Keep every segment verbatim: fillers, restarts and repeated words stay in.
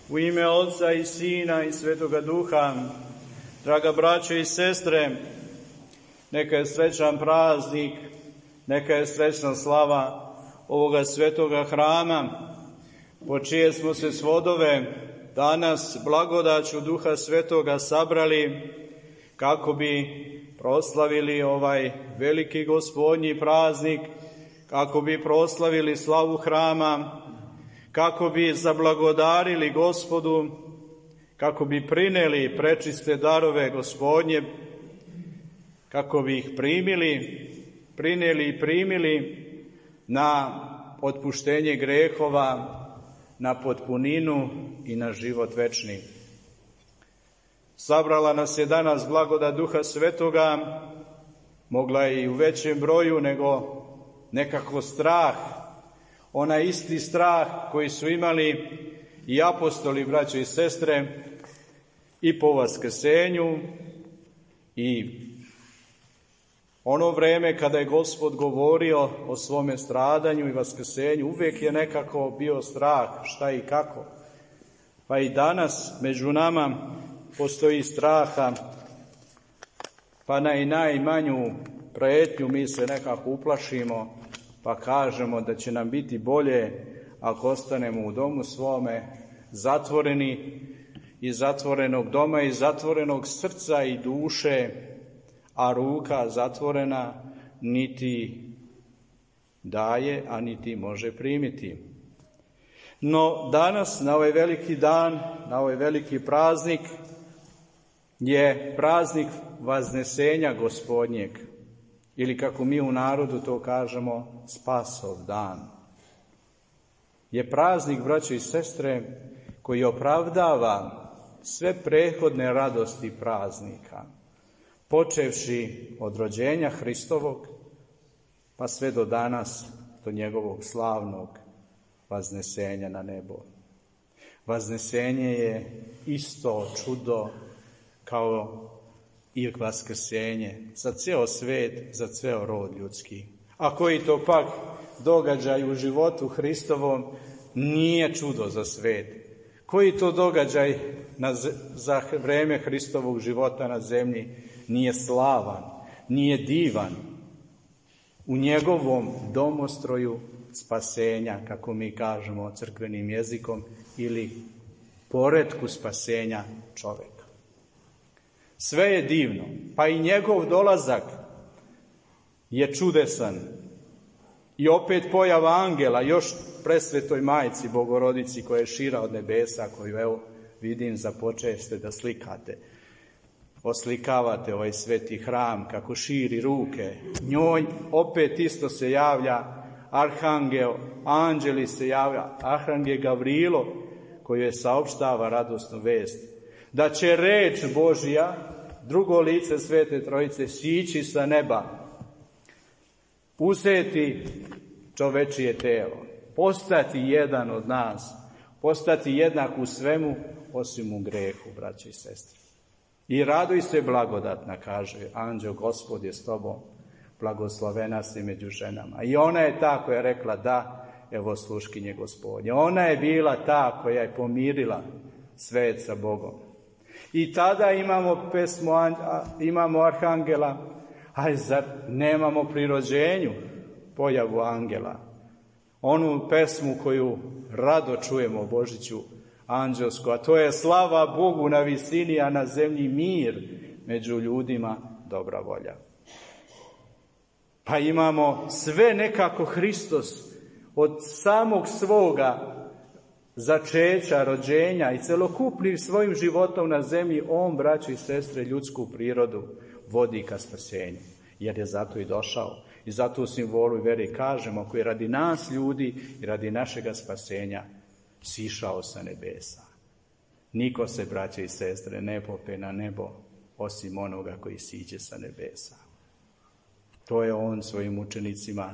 U ime Otca i Sina i Svetoga Duha, draga braćo i sestre, neka je srećan praznik, neka je srećna slava ovoga svetoga hrama, po čije smo se svodove danas blagodaću Duha Svetoga sabrali kako bi proslavili ovaj veliki Gospodnji praznik, kako bi proslavili slavu hrama, kako bi zablagodarili Gospodu, kako bi prineli prečiste darove Gospodnje, kako bi ih primili, prineli i primili na otpuštenje grehova, na potpuninu i na život večni. Sabrala nas je danas blagodat Duha Svetoga, mogla je i u većem broju nego nekako strah, onaj isti strah koji su imali i apostoli, braćo i sestre, i po vaskrsenju, i ono vreme kada je Gospod govorio o svome stradanju i vaskrsenju, uvijek je nekako bio strah šta i kako. Pa i danas među nama postoji straha, pa na i najmanju prijetnju mi se nekako uplašimo, pa kažemo da će nam biti bolje ako ostanemo u domu svome, zatvoreni, iz zatvorenog doma i zatvorenog srca i duše, a ruka zatvorena niti daje, a niti može primiti. No danas, na ovaj veliki dan, na ovaj veliki praznik, je praznik Vaznesenja Gospodnjeg, ili kako mi u narodu to kažemo, Spasov dan. Je praznik, braćo i sestre, koji opravdava sve prethodne radosti praznika, počevši od rođenja Hristovog, pa sve do danas, do njegovog slavnog vaznesenja na nebo. Vaznesenje je isto čudo kao i vaskrsenje za ceo svet, za ceo rod ljudski. A koji to pak događaj u životu Hristovom nije čudo za svet? Koji to događaj na, za vreme Hristovog života na zemlji nije slavan, nije divan u njegovom domostroju spasenja, kako mi kažemo crkvenim jezikom, ili poretku spasenja čoveka. Sve je divno, pa i njegov dolazak je čudesan. I opet pojava angela, još presvetoj majci Bogorodici koja je šira od nebesa, koju evo vidim započeste da slikate. Oslikavate ovaj sveti hram kako širi ruke. Njoj opet isto se javlja arhangel, anđeli se javlja, arhangel Gavrilo koji je saopštava radosnu vest da će reč Božja, drugo lice Svete Trojice, sići sa neba, uzeti čovečije telo, postati jedan od nas, postati jednak u svemu osim u grehu, braći i sestre. I raduj se blagodatna, kaže anđeo, Gospod je s tobom, blagoslovena si među ženama. I ona je ta koja je rekla da, evo sluškinje Gospodnje. Ona je bila ta koja je pomirila svet sa Bogom. I tada imamo pesmu, imamo arhangela, a zar nemamo pri rođenju pojavu angela? Onu pesmu koju rado čujemo o Božiću anđelsku, a to je slava Bogu na visini, a na zemlji mir, među ljudima dobra volja. Pa imamo sve nekako Hristos od samog svoga začeća, rođenja i celokupnim svojim životom na zemlji, on, braćo i sestre, ljudsku prirodu vodi ka spasenju, jer je zato i došao. I zato u simbolu i veri kažemo, koji radi nas ljudi i radi našega spasenja sišao sa nebesa. Niko se, braće i sestre, ne pope na nebo osim onoga koji siđe sa nebesa. To je on svojim učenicima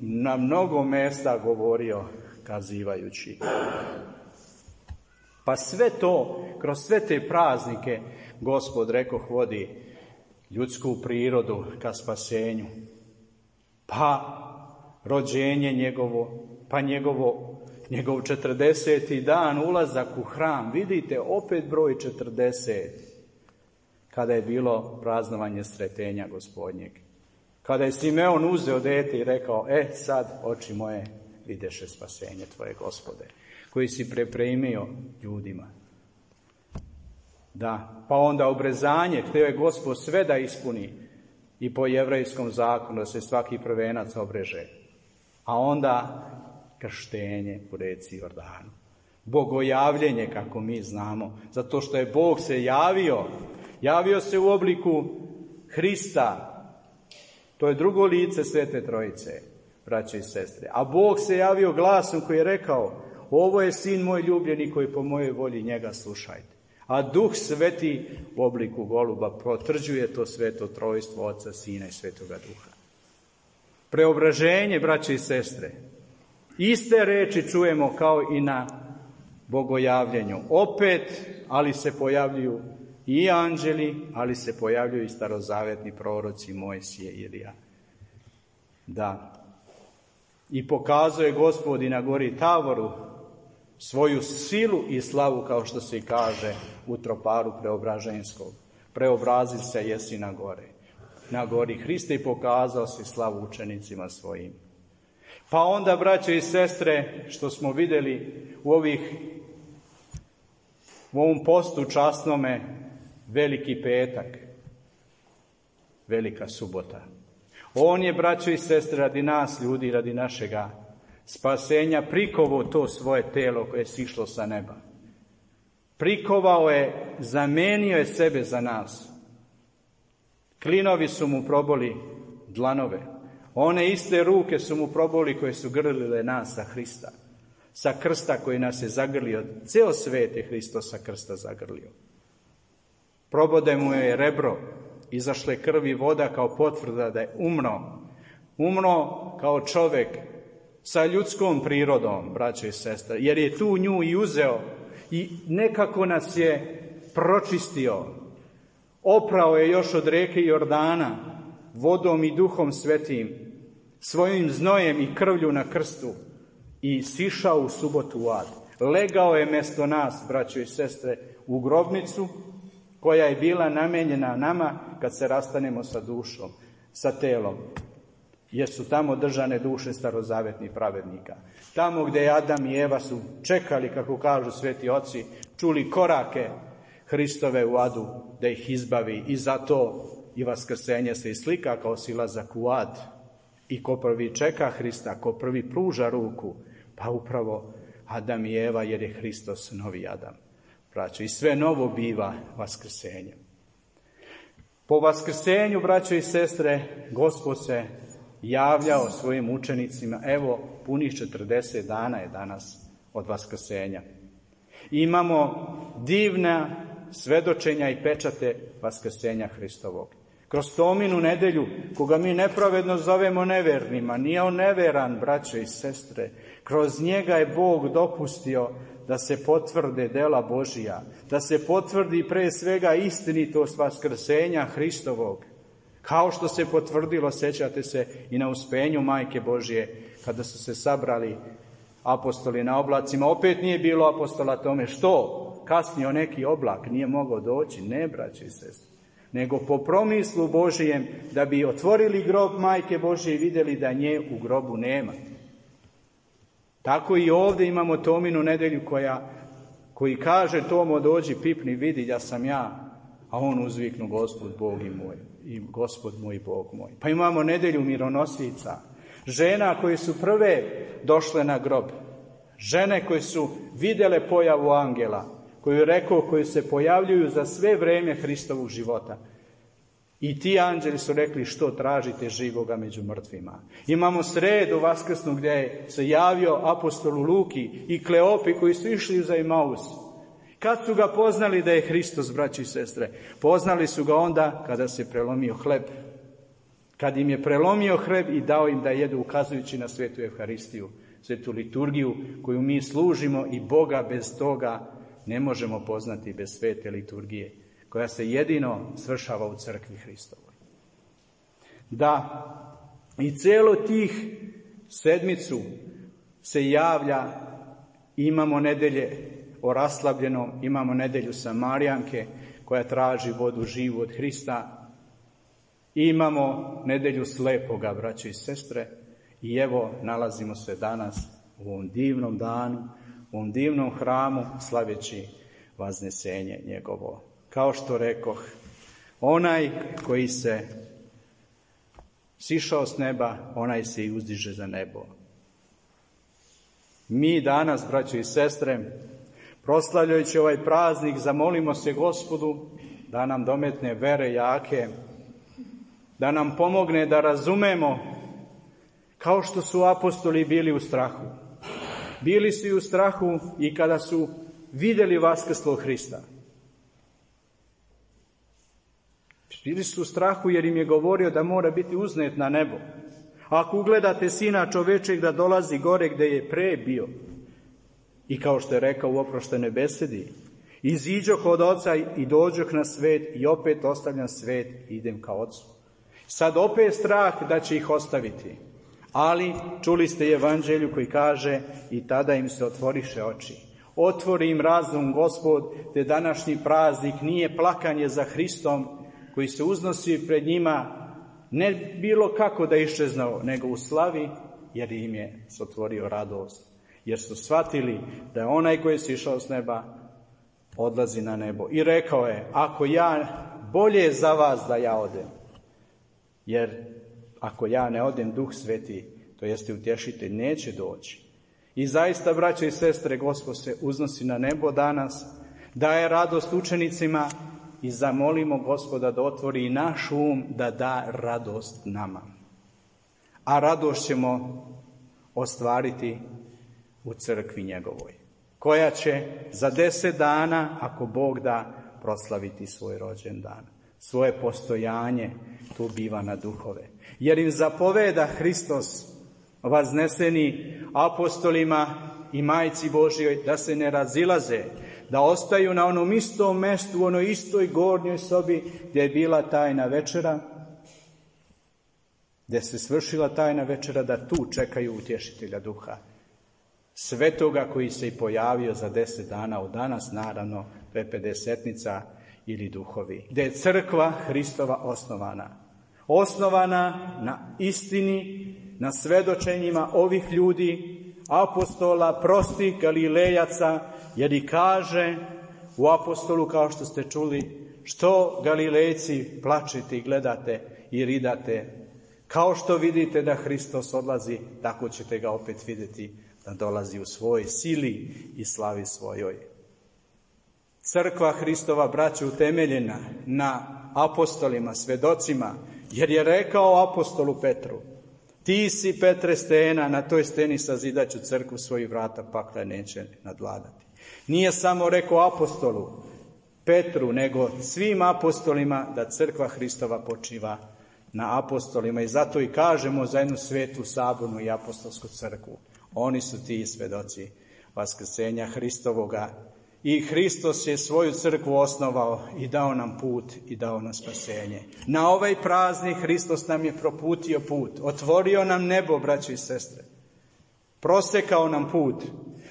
na mnogo mesta govorio, kazivajući. Pa sve to, kroz sve te praznike, Gospod rekoh vodi ljudsku prirodu ka spasenju, pa rođenje njegovo, pa njegovo, njegov četrdeseti dan, ulazak u hram. Vidite, opet broj četrdeset, kada je bilo praznovanje Sretenja Gospodnjeg. Kada je Simeon uzeo dete i rekao, e sad, oči moje, videše spasenje tvoje, Gospode, koji si pripremio ljudima. Da, pa onda obrezanje, htio je Gospod sve da ispuni i po jevrejskom zakonu, da se svaki prvenac obreže. A onda krštenje u reci Jordanu. Bogojavljenje, kako mi znamo, zato što je Bog se javio, javio se u obliku Hrista. To je drugo lice Svete Trojice, braće i sestre. A Bog se javio glasom koji je rekao, ovo je sin moj ljubljeni koji po mojoj volji njega slušajte. A Duh Sveti u obliku goluba potvrđuje to Sveto Trojstvo Oca, Sina i Svetoga Duha. Preobraženje, braće i sestre. Iste reči čujemo kao i na bogojavljenju. Opet, ali se pojavljuju i anđeli, ali se pojavljuju i starozavetni proroci Mojsije i Ilija. Da. I pokazuje Gospod i na gori Tavoru svoju silu i slavu, kao što se i kaže u troparu preobraženskog. Preobrazi se jesi na gore. Na gori Hrista i pokazao si slavu učenicima svojim. Pa onda, braće i sestre, što smo vidjeli u ovih u ovom postu časnome, Veliki petak, Velika subota. On je, braćo i sestre, radi nas ljudi, radi našega spasenja prikovao to svoje telo koje je sišlo sa neba. Prikovao je, zamenio je sebe za nas. Klinovi su mu proboli dlanove. One iste ruke su mu proboli koje su grlile nas sa Hrista. Sa krsta koji nas je zagrlio. Ceo svet je Hristos sa krsta zagrlio. Probode mu je rebro. Izašle krvi voda kao potvrda da je umro. Umro kao čovjek sa ljudskom prirodom, braće i sestre. Jer je tu nju i uzeo i nekako nas je pročistio. Oprao je još od reke Jordana vodom i Duhom Svetim, svojim znojem i krvlju na krstu i sišao u subotu u ad. Legao je mjesto nas, braćo i sestre, u grobnicu koja je bila namenjena nama kad se rastanemo sa dušom, sa telom. Jer su tamo držane duše starozavetnih pravednika. Tamo gdje Adam i Eva su čekali, kako kažu sveti oci, čuli korake Hristove u adu da ih izbavi, i zato i vaskrsenje se i slika kao silazak u ad. I ko prvi čeka Hrista, ko prvi pruža ruku, pa upravo Adam i Eva, jer je Hristos novi Adam. Braćo, i sve novo biva vaskrsenjem. Po vaskrsenju, braćo i sestre, Gospod se javljao svojim učenicima. Evo, punih četrdeset dana je danas od vaskrsenja. Imamo divna svedočenja i pečate vaskrsenja Hristovog. Kroz Tominu nedelju, koga mi nepravedno zovemo nevernima, nije on neveran, braćo i sestre. Kroz njega je Bog dopustio da se potvrde dela Božija, da se potvrdi pre svega istinitost vaskrsenja Hristovog. Kao što se potvrdilo, sjećate se, i na uspenju Majke Božije, kada su se sabrali apostoli na oblacima. Opet nije bilo apostola tome. Što? Kasnio neki oblak, nije mogao doći. Ne, braći i sestri. Nego po promislu Božijem, da bi otvorili grob Majke Božije i vidjeli da nje u grobu nema. Tako i ovdje imamo Tominu nedelju koja, koji kaže Tomo, dođi, pipni, vidi, ja sam ja. A on uzviknu, Gospod Bog i moj, i Gospod moj Bog moj. Pa imamo nedelju mironosica, žena koje su prve došle na grob, žene koje su vidjele pojavu angela, koju rekao, koji se pojavljuju za sve vrijeme Hristovog života. I ti anđeli su rekli, što tražite živoga među mrtvima. Imamo sredu vaskrsnu gdje je se javio apostolu Luki i Kleopi koji su išli za Emaus. Kad su ga poznali da je Hristos, braći i sestre? Poznali su ga onda kada se prelomio hleb. Kad im je prelomio hleb i dao im da jedu, ukazujući na svetu Evharistiju, svetu liturgiju koju mi služimo, i Boga bez toga ne možemo poznati, bez svete liturgije. koja se jedino svršava u crkvi Hristovoj. Da i cijelo tih sedmicu se javlja, imamo nedelje o raslabljenom, imamo nedelju Samarijanke koja traži vodu živu od Hrista, imamo nedelju slepoga, braće i sestre, i evo nalazimo se danas u ovom divnom danu, u ovom divnom hramu, slaveći vaznesenje njegovo. Kao što rekoh, onaj koji se sišao s neba, onaj se i uzdiže za nebo. Mi danas, braćo i sestre, proslavljajući ovaj praznik, zamolimo se Gospodu da nam dometne vere jake, da nam pomogne da razumemo, kao što su apostoli bili u strahu. Bili su i u strahu i kada su vidjeli vaskrslog Hrista. Bili su u strahu jer im je govorio da mora biti uznet na nebo. Ako ugledate Sina čovečeg da dolazi gore gdje je pre bio, i kao što je rekao u oproštenoj besedi, iziđoh od Oca i dođoh na svet i opet ostavljam svet i idem ka Ocu. Sad opet strah da će ih ostaviti. Ali čuli ste evanđelju koji kaže i tada im se otvoriše oči. Otvori im razum Gospod, te današnji praznik nije plakanje za Hristom koji se uznosi pred njima, ne bilo kako da iščeznao, nego u slavi, jer im je otvorio radost. Jer su shvatili da je onaj koji je sišao s neba odlazi na nebo. I rekao je, ako ja, bolje je za vas da ja odem. Jer ako ja ne odem, Duh Sveti, to jeste utješitelj, neće doći. I zaista, braćo i sestre, Gospod se uznosi na nebo danas, daje radost učenicima i zamolimo Gospoda da otvori i naš um, da da radost nama. A radost ćemo ostvariti u crkvi njegovoj, koja će za deset dana, ako Bog da, proslaviti svoj rođendan. Svoje postojanje tu biva na duhove. Jer im zapoveda Hristos vazneseni apostolima i majci Božjoj da se ne razilaze, da ostaju na onom istom mestu, u onoj istoj gornjoj sobi gdje je bila tajna večera, gdje se svršila tajna večera, da tu čekaju utješitelja duha. Svetoga koji se i pojavio za deset dana od danas, naravno, to je pedesetnica ili duhovi. Gdje je crkva Hristova osnovana. Osnovana na istini, na svedočenjima ovih ljudi, apostola, prostih Galilejaca, jer i kaže u apostolu, kao što ste čuli, što Galilejci plačete i gledate i ridate. Kao što vidite da Hristos odlazi, tako ćete ga opet vidjeti da dolazi u svojoj sili i slavi svojoj. Crkva Hristova, braćo, utemeljena na apostolima, svedocima, jer je rekao apostolu Petru, ti si, Petre, stena, na toj steni sazidaću crkvu, svojih vrata pakla neće nadvladati. Nije samo rekao apostolu Petru, nego svim apostolima da crkva Hristova počiva na apostolima. I zato i kažemo za jednu svetu, sabornu i apostolsku crkvu. Oni su ti svedoci vaskrsenja Hristovoga. I Hristos je svoju crkvu osnovao i dao nam put i dao nam spasenje. Na ovaj praznik Hristos nam je proputio put. Otvorio nam nebo, braćo i sestre. Prosekao nam put.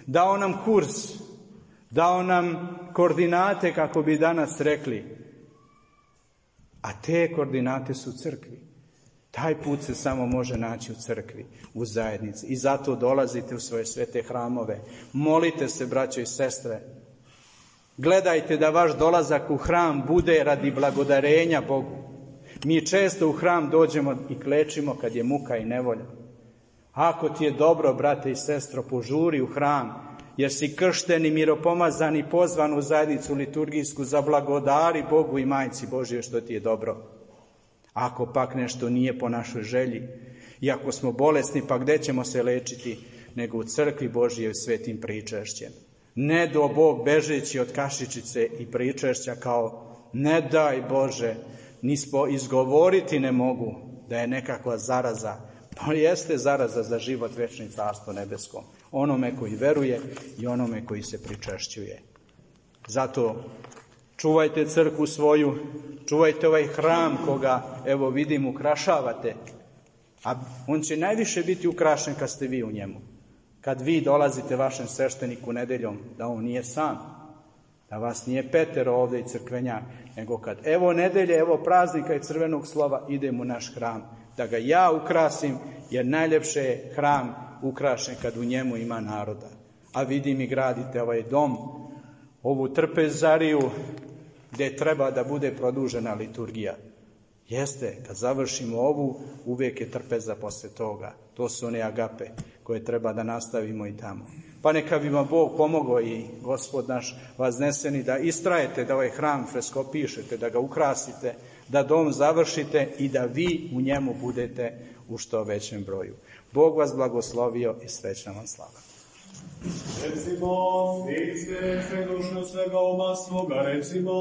Dao nam kurs. Dao nam koordinate, kako bi danas rekli. A te koordinate su u crkvi. Taj put se samo može naći u crkvi, u zajednici. I zato dolazite u svoje svete hramove. Molite se, braćo i sestre. Gledajte da vaš dolazak u hram bude radi blagodarenja Bogu. Mi često u hram dođemo i klečimo kad je muka i nevolja. Ako ti je dobro, brate i sestro, požuri u hram, jer si kršten i miropomazan i pozvan u zajednicu liturgijsku, za blagodari Bogu i majci Božjoj što ti je dobro. Ako pak nešto nije po našoj želji, i ako smo bolesni, pa gdje ćemo se lečiti, nego u crkvi Božjoj svetim pričešćem. Ne do Bog bežeći od kašičice i pričešća kao ne daj Bože, ni spo izgovoriti ne mogu da je nekakva zaraza. Pa jeste zaraza za život večni, carstvo nebeskom. Onome koji veruje i onome koji se pričešćuje. Zato Čuvajte crkvu svoju, čuvajte ovaj hram koga, evo vidim, ukrašavate. A on će najviše biti ukrašen kad ste vi u njemu. Kad vi dolazite vašem svešteniku nedeljom, da on nije sam, da vas nije petero ovdje i crkvenjak, nego kad evo nedelje, evo praznika i crvenog slova, idem u naš hram, da ga ja ukrasim, jer najljepše je hram ukrašen kad u njemu ima naroda. A vidim i gradite ovaj dom, ovu trpezariju, gdje treba da bude produžena liturgija. Jeste, kad završimo ovu, uvijek je trpeza posle toga. To su one agape koje treba da nastavimo i tamo. Pa neka bi vam Bog pomogao i Gospod naš vazneseni da istrajete, da ovaj hram freskopišete, da ga ukrasite, da dom završite i da vi u njemu budete u što većem broju. Bog vas blagoslovio i srećna vam slava. Recimo, svi sve, sve dušno svega uma svoga, recimo.